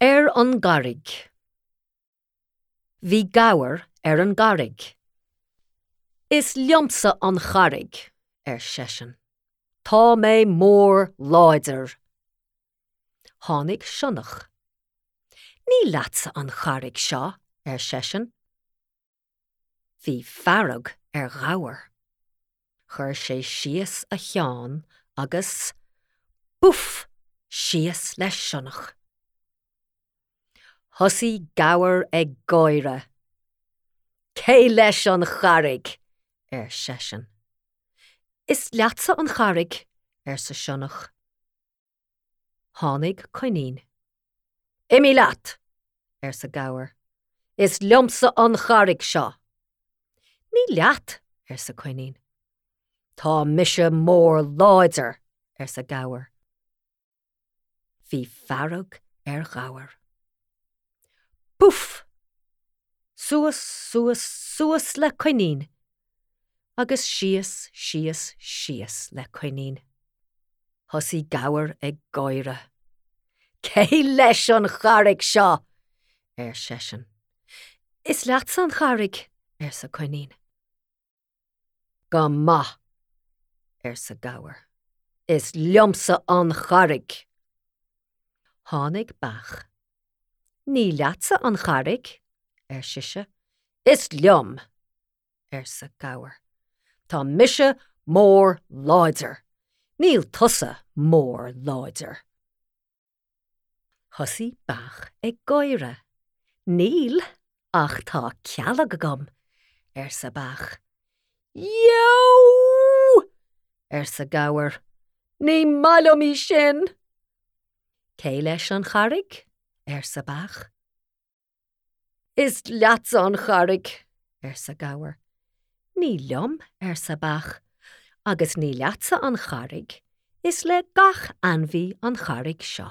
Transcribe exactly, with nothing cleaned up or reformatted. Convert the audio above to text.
Ar an gcarraig. Bhí gabhar ar an gcarraig. Is liomsa an charraig, ar seisean. Tá mé mór láidir. Tháinig sionnach. Ní leatsa an charraig seo, ar seisean. Bhí fearg ar ghabhar. Chuir sé síos a cheann agus buf síos le sionnach. Thosaigh gabhar ag gáire. Cé leis an charraig, ar seisean. Is leatsa an charraig, arsa sionnach. Tháinig coinín. Imigh leat, arsa gabhar. Is liomsa an charraig seo. Ní leat, arsa coinín. Tá mise mór láidir, arsa gabhar. Bhí fearg ar ghabhar. Puf! Suas, suas, suas le coinín, agus síos, síos, síos le coinín. Thosaigh gabhar ag gáire. Cé leis an charraig seo, ar seisean. Is leatsa an charraig, arsa coinín. Go maith, arsa gabhar. Is liomsa an charraig. Tháinig beach. Ní leatsa an charraig, ar sise. Is liom, arsa gabhar. Tá mise mór láidir. Níl tusa mór láidir. Thosaigh beach ag gáire. Níl, ach tá cealg agam, arsa beach. Eo! arsa gabhar. Ní maith liom í sin. Cé leis an charraig? arsa beach. Is leatsa an charraig, arsa gabhar. Ní liom, arsa beach, agus ní leatsa an charraig, is le gach ainmhí an charraig seo.